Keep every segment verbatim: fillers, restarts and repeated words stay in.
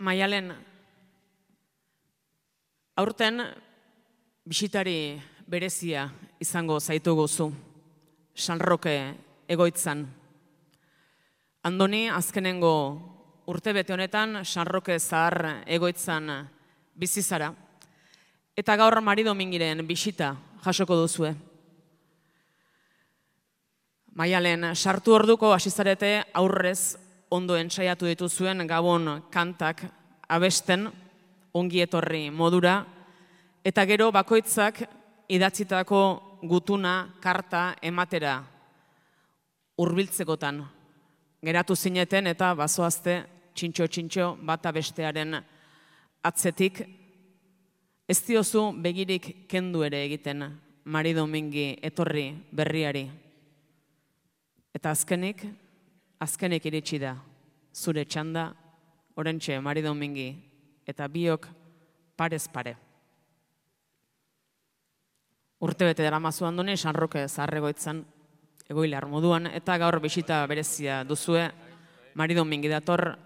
Maialen, aurten bisitari berezia izango zaitugu zu, San Roke egoitzan. Andoni azkenengo urtebete honetan San Roke zahar egoitzan bizi zara, eta gaur Mari Domingiren bisita jasoko duzue. Maialen, sartu orduko hasi zarete aurrez ondo entsaiatu dituzuen Gabon kantak abesten, ongi etorri modura, eta gero bakoitzak idatzitako gutuna karta ematera hurbiltzekotan geratu zineten eta bazoazte txintxo-txintxo bata bestearen atzetik. Ez diozu begirik kendu ere egiten Mari Domingi etorri berriari. Eta azkenik, azkenik iritsi da, zure txanda, orentxe Mari Domingi, eta biok parez pare. Urtebete daramazu Andoni, San Roke zaharregoitzan, egoilar moduan, eta gaur bisita berezia duzue, Mari Domingi dator,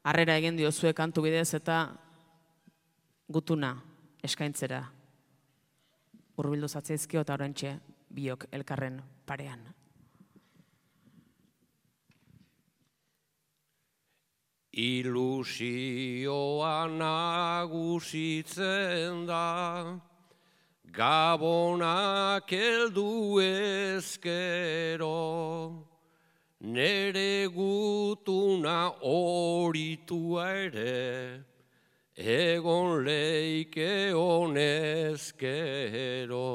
harrera egin diozue kantu bidez eta gutuna eskaintzera. Hurbildu zatzaizkio eta orentxe biok elkarren parean. Ilusioa nagusitzen da, Gabonak heldu ezkero, nere gutuna horitua ere, egon leike honezkero.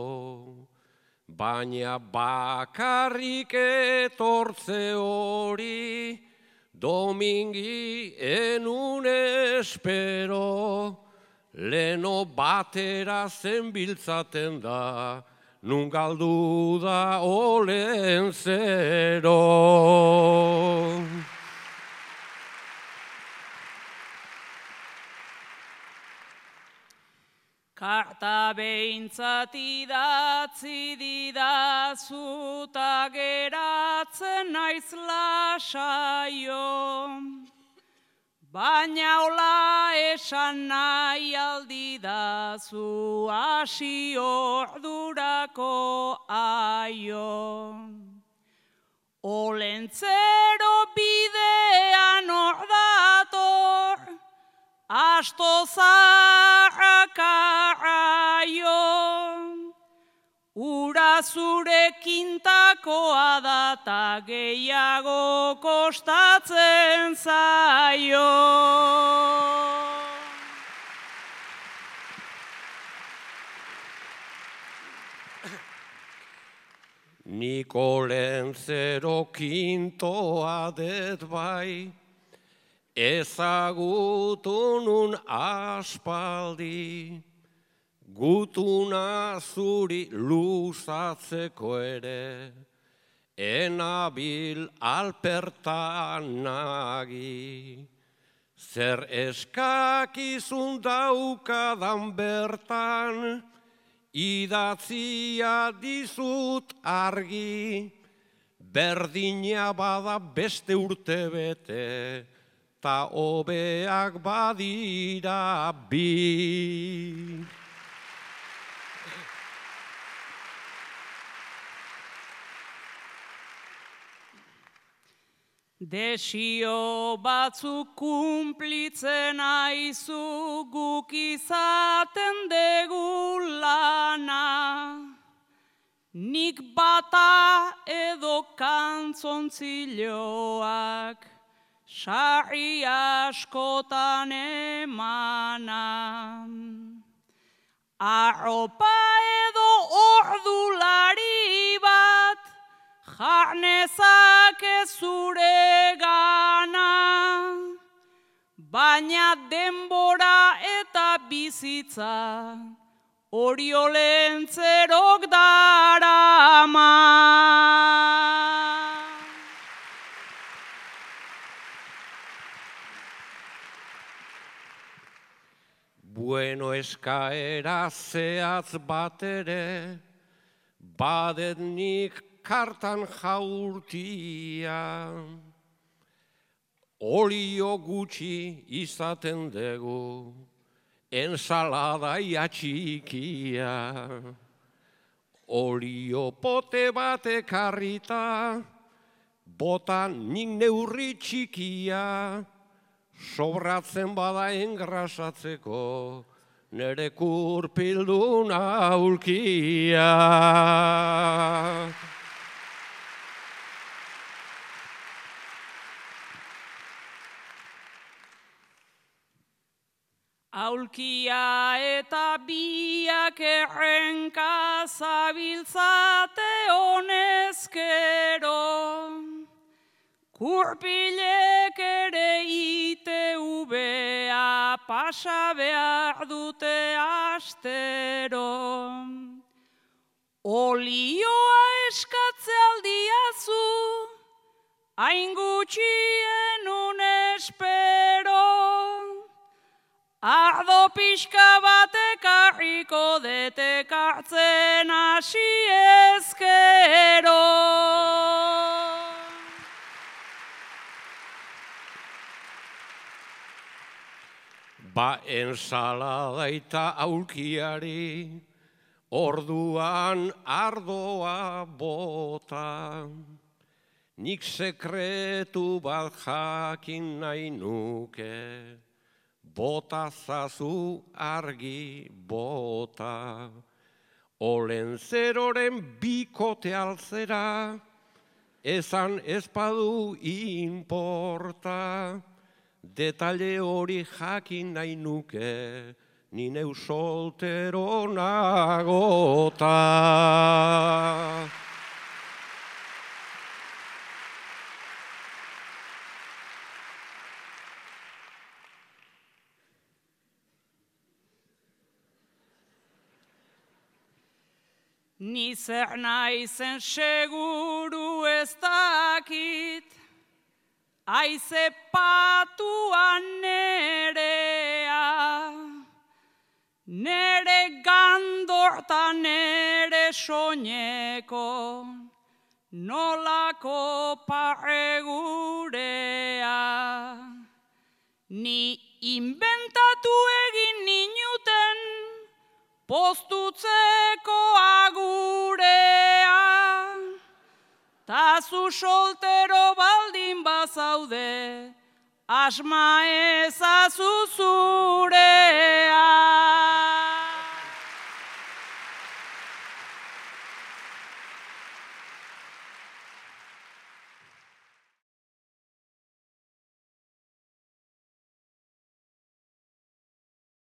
Baina bakarrik etortze hori, Domingi enun espero, leno batera zenbiltzaten da, nun galdu da olen zero. Karta behintzat idatzi didazu ta geratzen naiz lasaio, baina hola esan nahi aldidazu hasi ordurako aio. Olentzero bidean hor dator, asto zaharrakaraio, ura zure kintakoa da ta gehiago kostatzen zaio. Nik olentzero kintoa det bai, ezagutu nun aspaldi, gutuna zuri luzatzeko ere, enabil alpertan nagi. Zer eskakizun daukadan bertan, idatzia dizut argi, berdina bada beste urte bete, ta hobeak badira bi. Desio batzuk kumplitzen aizu guk izaten dugu lana, nik bata edo kantzontzilloak sarri askotan emana. Arropa edo ordulari bat jarnezake zure gana, baina denbora eta bizitza hori olentzerok darama. Bueno, eskaera zehatz bat ere, badet nik kartan jaurtia. olio gutxi izaten dugu, ensalada txikia. Olio pote bat ekarrita, botan nik neurri txikia, sobratzen bada engrasatzeko, nere kurpildun aulkia. Aulkia eta biak errenka zabiltzate honezkero, kurpilek ere ite ubea pasa behar dute astero. Olioa eskatze aldiazu, hain gutxien un espero. Ardo pixka bat ekarriko detekartzen hasi ezkero. Ba ensalada eta aulkiari, orduan ardoa bota. Nik sekretu bat jakin nahi nuke, bota zazu argi bota. Olentzeroren bikote altzera, ezan ezpadu inporta. Detalle hori jakin nahi nuke, ni neu soltero nagota. Ni zer naizen seguru ez dakit, aize patuan nerea, nere gandorta nere soñeko, nolako parregurea. Ni inventatu egin ninuten, postutzeko agurea, ta zu soltero baldin bazaude, asma ezazu zurea.